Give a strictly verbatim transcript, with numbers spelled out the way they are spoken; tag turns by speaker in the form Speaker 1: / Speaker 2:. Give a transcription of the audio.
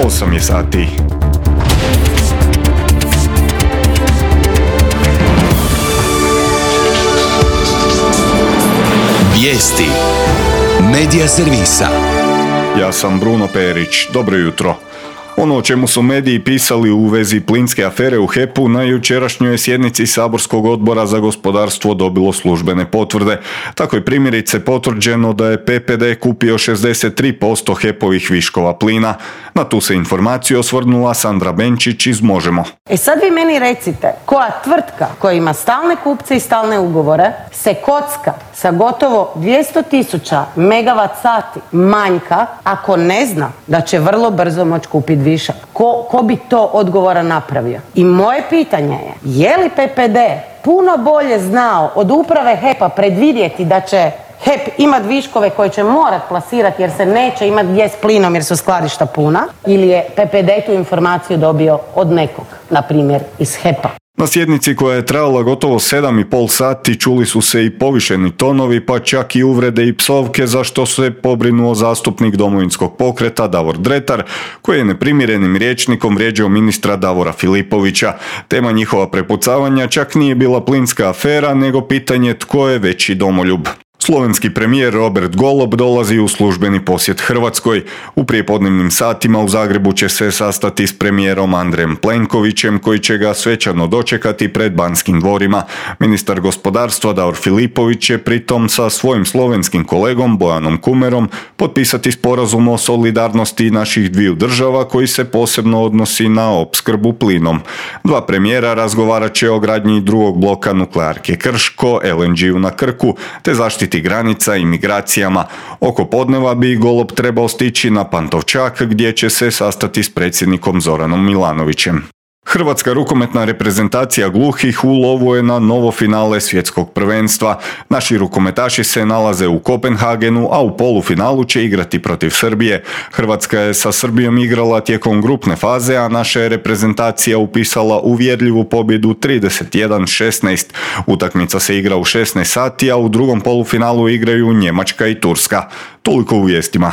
Speaker 1: osam je sati.
Speaker 2: Vijesti Medija servisa.
Speaker 1: Ja sam Bruno Perić. Dobro jutro. Ono o čemu su mediji pisali u vezi plinske afere u H E P-u na jučerašnjoj sjednici saborskog odbora za gospodarstvo dobilo službene potvrde. Tako je primjerice potvrđeno da je P P D kupio šezdeset tri posto H E P-ovih viškova plina. Na tu se informaciju osvrnula Sandra Benčić iz Možemo.
Speaker 3: E sad vi meni recite, koja tvrtka koja ima stalne kupce i stalne ugovore se kocka sa gotovo dvjesto tisuća megavat sati manjka ako ne zna da će vrlo brzo moći kupiti višak? Ko, ko bi to odgovora napravio? I moje pitanje je, je li P P D puno bolje znao od uprave H E P-a predvidjeti da će H E P imat viškove koje će morat plasirati jer se neće imat gdje s plinom jer su skladišta puna, ili je P P D tu informaciju dobio od nekog, na primjer iz H E P-a?
Speaker 1: Na sjednici koja je trajala gotovo sedam i pol sati čuli su se i povišeni tonovi, pa čak i uvrede i psovke, za što se pobrinuo zastupnik Domovinskog pokreta Davor Dretar, koji je neprimjerenim rječnikom vrijeđao ministra Davora Filipovića. Tema njihova prepucavanja čak nije bila plinska afera, nego pitanje tko je veći domoljub. Slovenski premijer Robert Golob dolazi u službeni posjet Hrvatskoj. U prijepodnevnim satima u Zagrebu će se sastati s premijerom Andrejem Plenkovićem, koji će ga svečano dočekati pred Banskim dvorima. Ministar gospodarstva Davor Filipović će pritom sa svojim slovenskim kolegom Bojanom Kumerom potpisati sporazum o solidarnosti naših dviju država koji se posebno odnosi na opskrbu plinom. Dva premijera razgovarat će o gradnji drugog bloka nuklearke Krško, L N G-u na Krku, te zaštiti granica i migracijama. Oko podneva bi Golob trebao stići na Pantovčak, gdje će se sastati s predsjednikom Zoranom Milanovićem. Hrvatska rukometna reprezentacija gluhih u lovu je na novo finale svjetskog prvenstva. Naši rukometaši se nalaze u Kopenhagenu, a u polufinalu će igrati protiv Srbije. Hrvatska je sa Srbijom igrala tijekom grupne faze, a naša je reprezentacija upisala uvjerljivu pobjedu trideset jedan šesnaest. Utakmica se igra u šesnaest sati, a u drugom polufinalu igraju Njemačka i Turska. Toliko u vijestima.